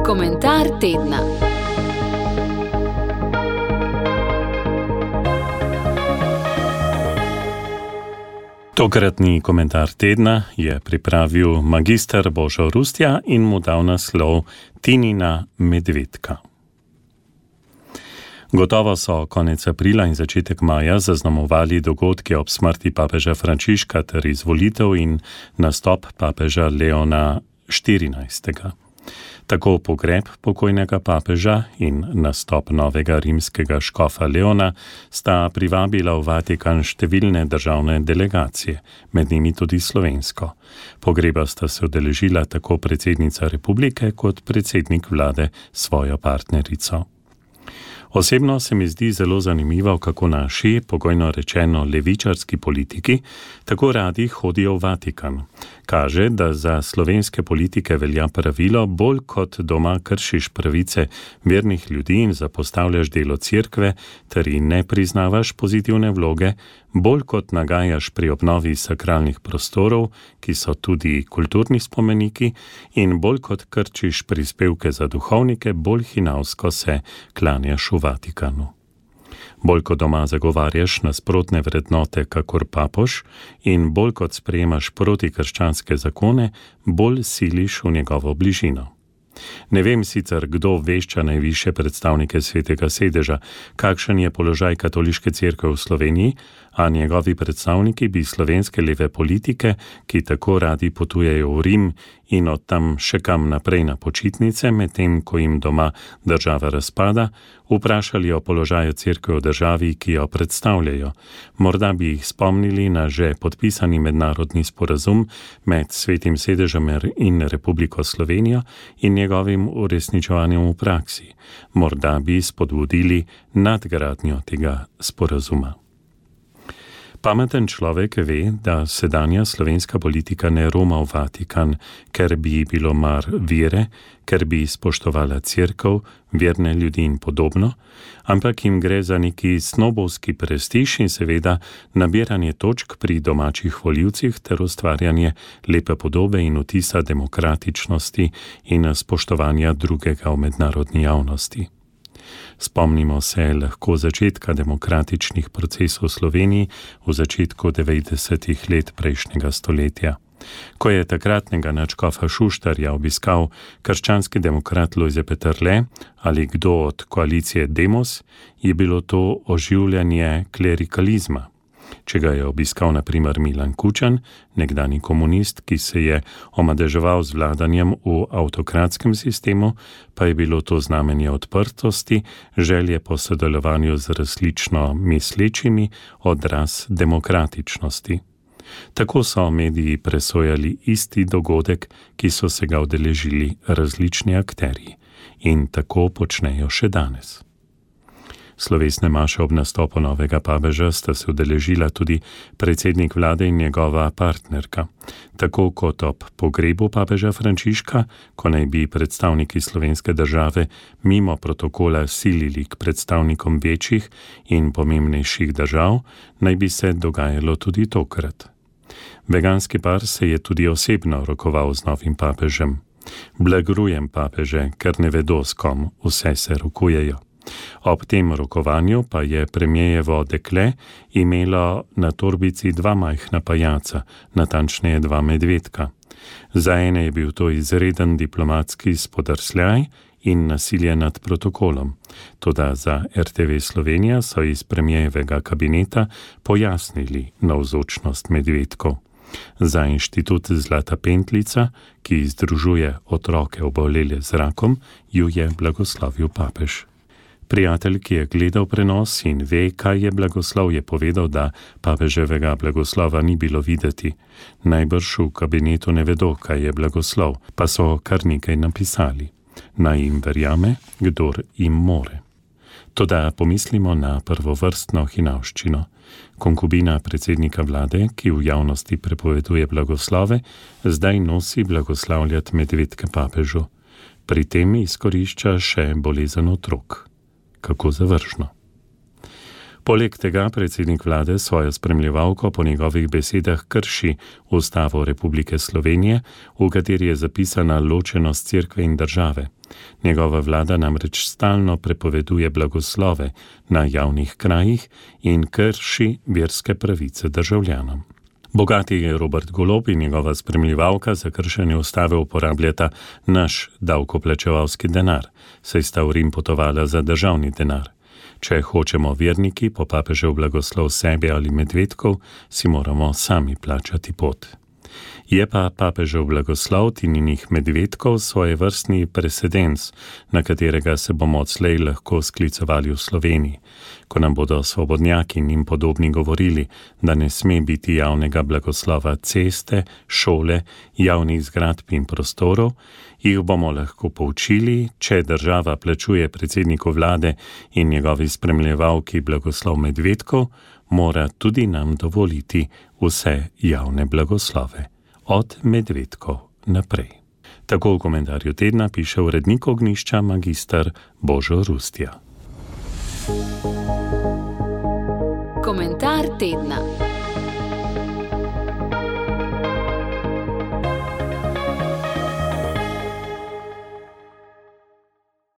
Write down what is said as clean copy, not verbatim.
Komentar tedna. Tokratni komentar tedna je pripravil magister Božo Rustja in mu dal naslov Tinina medvedka. Gotovo so konec aprila in začetek maja zaznamovali dogodki ob smrti papeža Frančiška ter izvolitev in nastop papeža Leona XIV. Tako pogreb pokojnega papeža in nastop novega rimskega škofa Leona sta privabila v Vatikan številne državne delegacije, med njimi tudi slovensko. Pogreba sta se udeležila tako predsednica republike kot predsednik vlade s svojo partnerico. Osebno se mi zdi zelo zanimivo, kako naši, pogojno rečeno levičarski politiki, tako radi hodijo v Vatikan. Kaže, da za slovenske politike velja pravilo, bolj kot doma kršiš pravice vernih ljudi in zapostavljaš delo cerkve ter jim ne priznavaš pozitivne vloge, bolj kot nagajaš pri obnovi sakralnih prostorov, ki so tudi kulturni spomeniki, in bolj kot krčiš prispevke za duhovnike, bolj hinavsko se klanjaš v Vatikanu. Bolj kot doma zagovarjaš nasprotne vrednote kakor papež in bolj kot sprejemaš protikrščanske zakone, bolj siliš v njegovo bližino. Ne vem sicer, kdo vešča najvišje predstavnike Svetega sedeža, kakšen je položaj katoliške cerkve v Sloveniji, a njegovi predstavniki bi slovenske leve politike, ki tako radi potujejo v Rim in od tam še kam naprej na počitnice, medtem ko jim doma država razpada, vprašali o položaju cerkve v državi, ki jo predstavljajo. Morda bi jih spomnili na že podpisani mednarodni sporazum med Svetim sedežem in Republiko Slovenijo in njegovim uresničevanjem v praksi. Morda bi spodbudili nadgradnjo tega sporazuma. Pameten človek ve, da sedanja slovenska politika ne roma v Vatikan, ker bi ji bilo mar vere, ker bi spoštovala cerkev, verne ljudi in podobno, ampak jim gre za neki snobovski prestiž in seveda nabiranje točk pri domačih volivcih ter ustvarjanje lepe podobe in vtisa demokratičnosti in spoštovanja drugega v mednarodni javnosti. Spomnimo se lahko začetka demokratičnih procesov v Sloveniji v začetku 90. let prejšnjega stoletja. Ko je takratnega nadškofa Šuštarja obiskal krščanski demokrat Lojze Peterle ali kdo od koalicije Demos, je bilo to oživljanje klerikalizma. Če ga je obiskal na primer Milan Kučan, nekdani komunist, ki se je omadeževal z vladanjem v avtokratskem sistemu, pa je bilo to znamenje odprtosti, želje po sodelovanju z različno mislečimi, odraz demokratičnosti. Tako so mediji presojali isti dogodek, ki so se ga udeležili različni akterji. In tako počnejo še danes. Slovesne maše ob nastopu novega papeža sta se udeležila tudi predsednik vlade in njegova partnerka. Tako kot ob pogrebu papeža Frančiška, ko naj bi predstavniki slovenske države mimo protokola silili k predstavnikom večjih in pomembnejših držav, naj bi se dogajalo tudi tokrat. Veganski par se je tudi osebno rokoval z novim papežem. Blagrujem papeže, ker ne vedo, s kom vse se rokujejo. Ob tem rokovanju pa je premierjevo dekle imelo na torbici dva majhna pajaca, natančneje dva medvedka. Za ene je bil to izreden diplomatski spodrsljaj in nasilje nad protokolom. Toda za RTV Slovenija so iz premierjevega kabineta pojasnili navzočnost medvedkov. Za inštitut Zlata pentljica, ki združuje otroke obolele z rakom, ju je blagoslovil papež. Prijatelj, ki je gledal prenos in ve, kaj je blagoslov, je povedal, da papeževega blagoslova ni bilo videti. Najbrž v kabinetu ne vedo, kaj je blagoslov, pa so kar nekaj napisali. Naj jim verjame, kdor jim more. Toda pomislimo na prvovrstno hinavščino. Konkubina predsednika vlade, ki v javnosti prepoveduje blagoslove, zdaj nosi blagoslavljati medvedke papežu. Pri tem izkorišča še bolezen otrok. Kako zavržno. Poleg tega predsednik vlade svojo spremljevalko po njegovih besedah krši Ustavo Republike Slovenije, v kateri je zapisana ločenost cerkve in države. Njegova vlada namreč stalno prepoveduje blagoslove na javnih krajih in krši verske pravice državljanom. Bogati Robert Golob in njegova spremljevalka za kršenje ustave uporabljata naš davkoplačevalski denar, saj sta v Rim potovala za državni denar. Če hočemo verniki po papežev blagoslov sebi ali medvedkov, si moramo sami plačati pot. Je pa papežev blagoslov Tininih medvedkov svojevrstni precedens, na katerega se bomo odslej lahko sklicovali v Sloveniji. Ko nam bodo svobodnjaki in jim podobni govorili, da ne sme biti javnega blagoslova ceste, šole, javnih zgradb in prostorov, jih bomo lahko poučili, če država plačuje predsedniku vlade in njegovi spremljevalki blagoslov medvedkov, mora tudi nam dovoliti vse javne blagoslove. Od medvedkov naprej. Tako v komentarju tedna piše urednik Ognjišča magister Božo Rustja. Komentar tedna.